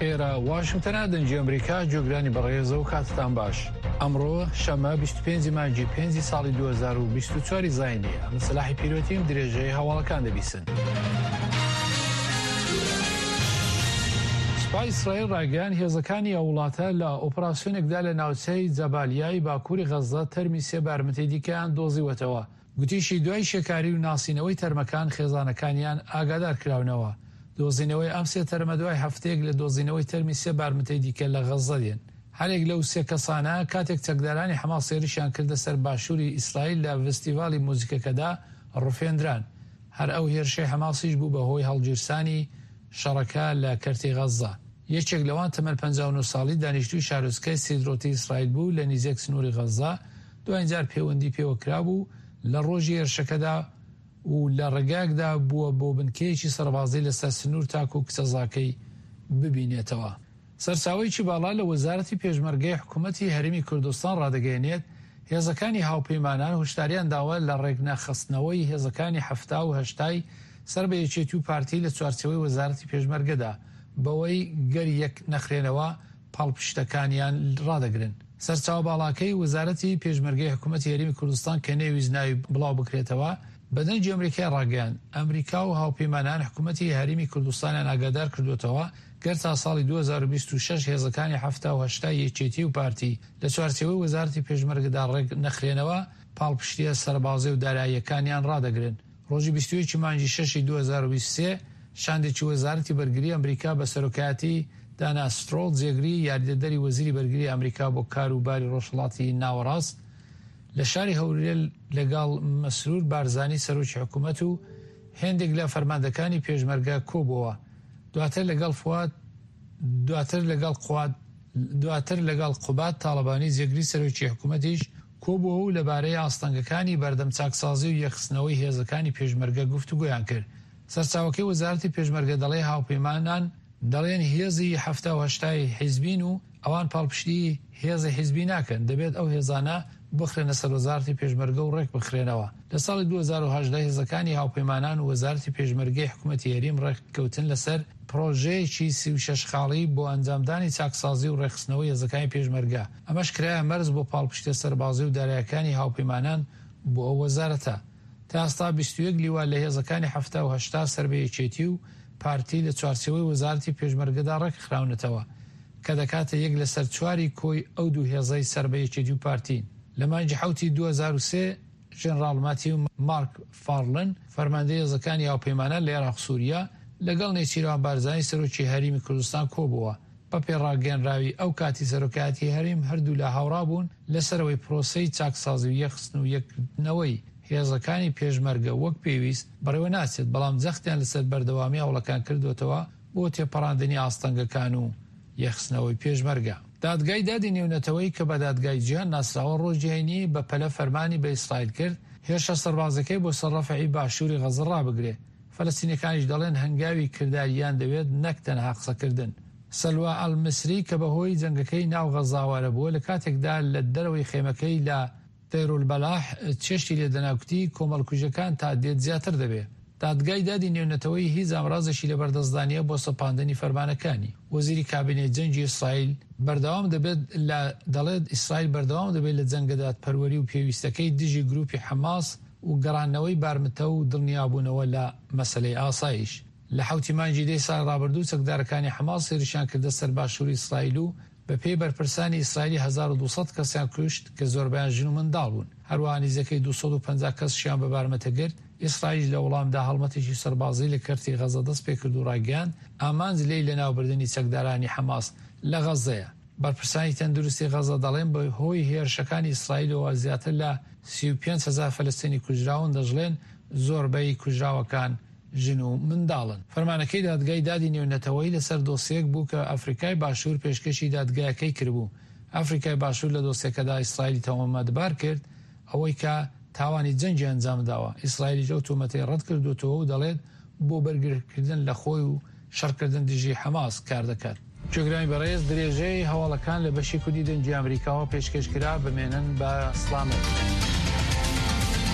ئێرە واشنگتنە دەنگی ئەمریکا جۆگرانی بەڕێزە و کاتتان باش ئەمڕۆ شەمە 25 مانگی 5 ساڵی 2024 زینی ئەمە سەلاحی پیرۆتیم درێژەی هەواڵەکان دەبیسن. سوپای ئیسرائیل ڕایگەیاند هێزەکانی ئەو وڵاتە لە ئۆپراسیۆنێکدا لە ناوچەی جەبالیای باکووری غەززە تەرمی سێ بارمتەی دیکەیان دۆزیوەتەوە. گوتیشی دوای شێکاری و ناسینەوەی تەرمەکان خێزانەکانیان ئاگادار کراونەوە. دۆزینەوەی ئەم سێ تەرمە دوای هەفتەیەک لە دۆزینەوەی تەرمی سێ بارمتەی دیکە لە غەززە دێن. هەرێک لەو سێ کەسانە کاتێک چەکدارانی حەماس هێرشیان کردە سەر باشووری ئیسرائیل لە ڤستیڤالی موزیکەکەدا ڕفێندران. هەر ئەو هێرشەی حەماسیش بوو بە هۆی هەڵگیرسانی شەڕەکە لە کەرتی غەززە. یەکێک لەوان تەمەن 59 ساڵی دانیشتووی شارۆچکەی سیدرۆتی ئیسرائیل بوو لە نیزێک سنووری غەززە، دواین جار پێوەندی پێوە کرابوو لە ڕۆژی هێرشەکەدا و لە ڕێگایەکدا بووە بۆ بنکەیەکی سەربازی لەسەر سنوور تاکوو کچەزاکەی ببینێتەوە. سەرچاوەیەکی باڵا لە وەزارەتی پێشمەرگەی حکومەتی هەرێمی کوردستان ڕادەگەیەنێت، هێزەکانی هاوپەیمانان هۆشداریان داوە لە ڕێکنەخستنەوەی هێزەکانی 70 و هەشتای سەر بە یەکێتی و پارتی لە چوارچێوەی وەزارەتی پێشمەرگەدا، بەوەی گەر یەک نەخرێنەوە پاڵپشتەکانیان ڕادەگرن. سەرچاوە باڵاکەی وەزارەتی پێشمەرگەی حکومەتی هەرێمی کوردستان کە نەیویست ناوی بڵاوبکرێتەوە، بە دەنگی ئەمریکای ڕاگەیاند، ئەمریکا و هاوپەیمانان حکومەتی هەرێمی کوردستانیان ئاگادار کردووەتەوە گەر تا ساڵی 2026 هێزەکانی 70 و هەشتای یەکێتی و پارتی لە چوارچێوەی وەزارەتی پێشمەرگەدا ڕێک نەخرێنەوە، پاڵپشتییە سەربازی و داراییەکانیان ڕادەگرن. ڕۆژی 21 مانگی شەشی 2023 شاندێکی وەزارەتی بەرگری ئەمریکا بە سەرۆکایەتی دانا سترۆڵ جێگری یاریدەدەری وەزیری بەرگری ئەمریکا بۆ کار و باری ڕۆژهەڵاتی ناوەڕاست لە شاری هەولێر لەگەڵ مەسرور بارزانی سەرۆکی حکوومەت و هێندێک لە فەرماندەکانی پێشمەرگە کۆبووەوە. دواتر لەگەڵ فواد دواتر لەگەڵ قواد دواتر لەگەڵ قوباد تاڵەبانی جێگری سەرۆکی حکوومەتیش کۆبووەوە و لەبارەی ئاستەنگەکانی بەردەم چاکسازی و یەکخستنەوەی هێزەکانی پێشمەرگە گفتوگۆیان کرد. سەرچاوەکەی وەزارەتی پێشمەرگە دەڵێ هاوپەیمانان دەڵێن هێزی 70 و هەشتای حیزبین و ئەوان پاڵپشتی هێزی حیزبی ناکەن، دەبێت ئەو هێزانە بخرێنە سەر وەزارەتی پێشمەرگە و ڕێکبخرێنەوە. لە ساڵی 2018 هێزەکانی هاوپەیمانان و وەزارەتی پێشمەرگەی حکومەتی هەریم ڕێککەوتن لەسەر پڕۆژەیەکی 36 خاڵی بۆ ئەنجامدانی چاکسازی و ڕێکخستنەوەی هێزەکانی پێشمەرگە، ئەمەش کرایە مەرج بۆ پاڵپشتیە سەربازی و دارایەکانی هاوپەیمانان بۆ ئەو وەزارەتە. تا ئێستا 21 لیوا لە هێزەکانی 70 و هەشتا سەر بە یەکێتی و پارتی لە چوارچێوەی وەزارەتی پێشمەرگەدا ڕێکخراونەتەوە کە دەکاتە یەک لەسەر چواری کۆی ئەو دوو هێزەی سەر بە یەکێتی و پارتین. لە مانگی حەوتی 2003 ژەنراڵ ماتیو مارک فارلن فەرماندەی هێزەکانی هاوپەیمانان لە ئێراق سوریا لەگەڵ نێچیروان بارزانی سەرۆکی هەریمی کوردستان کۆبووە. بەپێی ڕاگەیەنراوی ئەو کاتی سەرۆکایەتی هەرێم هەردوولا هاوڕابوون لەسەرئەوەی پرۆسەی چاکسازی و یەکخستن و یەکگرتنەوەی هێزەکانی پێشمەرگە وەک پێویست بەڕێوە ناچێت، بەڵام جەختیان لەسەر بەردەوامی هەوڵەکان کردووەتەوە بۆ تێپەڕاندنی ئاستەنگەکان و یەکخستنەوەی پێشمەرگە. دادگای دادی نێونەتەوەیی کە بە دادگای جیهان ناسراوە ڕۆژی هەینی بە پەلە فەرمانی بە ئیسرائیل کرد هێرشە سەربازیەکەی بۆ سەر ڕەفەحی باشووری غەززە ڕابگرێ. فەلەستینەکانیش دەڵێن هەنگاوی کردارییان دەوێت نەک تەنها قسەکردن. سەلوا ئەلمیسری کە بەهۆی جەنگەکەی ناو غەززە ئاوارە بووە لە کاتێکدا لە دەرەوەی خێمەکەی لە دەیرولبەلاح چێشتی لێدەنا کوتی کۆمەڵکوژیەکان تا دێت زیاتر دەبێ. دادگای دادی نێونەتەوەیی هیچ ئامرازێکی لەبەردەستدا نییە بۆ سەپاندنی فەرمانەکانی. وەزیری کابینەی جەنگی ئیسرائیل بەردەوام دەبێت لە دەڵێت ئیسرائیل بەردەوام دەبێت لە جەنگە دادپەروەری و پێویستەکەی دژی گروپی حەماس و گەڕاندنەوەی بارمتە و دڵنیابوونەوە لە مەسەلەی ئاسایش. لە حەوتی مانگی دەی ساڵی ڕابردوو چەکدارەکانی حەماس هێرشیان کردە سەر باشووری ئیسرائیل و بەپێی بەرپرسانی ئیسرائیلی 1200 کەسیان کوشت کە زۆربەیان ژن و منداڵ بوون، هەروەها نزیکەی 250 کەسیشیان بە بارمتە گرت، ئیسرائیلیش لە وەڵامدا هەڵمەتێکی سەربازی لە کەرتی غەزە دەستپێکرد و ڕایگەیاند، ئامانج لێی لەناوبردنی چەکدارانی حەماس لە غەزەیە. بەرپرسانی تەندروستی غەزە دەڵێن بەهۆی هێرشەکانی ئیسرائیلەوە زیاتر لە 35 هەزار فەلەستینی کوژراون، دەشڵێن زۆربەی کوژراوەکان ژن و منداڵن. فەرمانەکەی دادگای دادی نێونەتەوەیی لەسەر دۆسیەک بوو کە ئەفریکای باشوور پێشکەشی دادگایەکەی کردبوو. ئەفریکای باشوور لە دۆسیەکەدا ئیسرائیلی تۆمەتبار کرد ئەوەی کە تاوانی جەنگی ئەنجامداوە. ئیسرائیلیش ئەو تۆمەتەی ڕەتکردووەتەوە و دەڵێت بۆ بەرگریکردن لە خۆی و شەڕکردن دژی حەماس کاردەکات. گوێگرانی بەڕێز درێژەی هەواڵەکان لە بەشی کوردی دەنگی ئەمریکاوە پێشکەش کرا، بمێنن بە سڵامەت.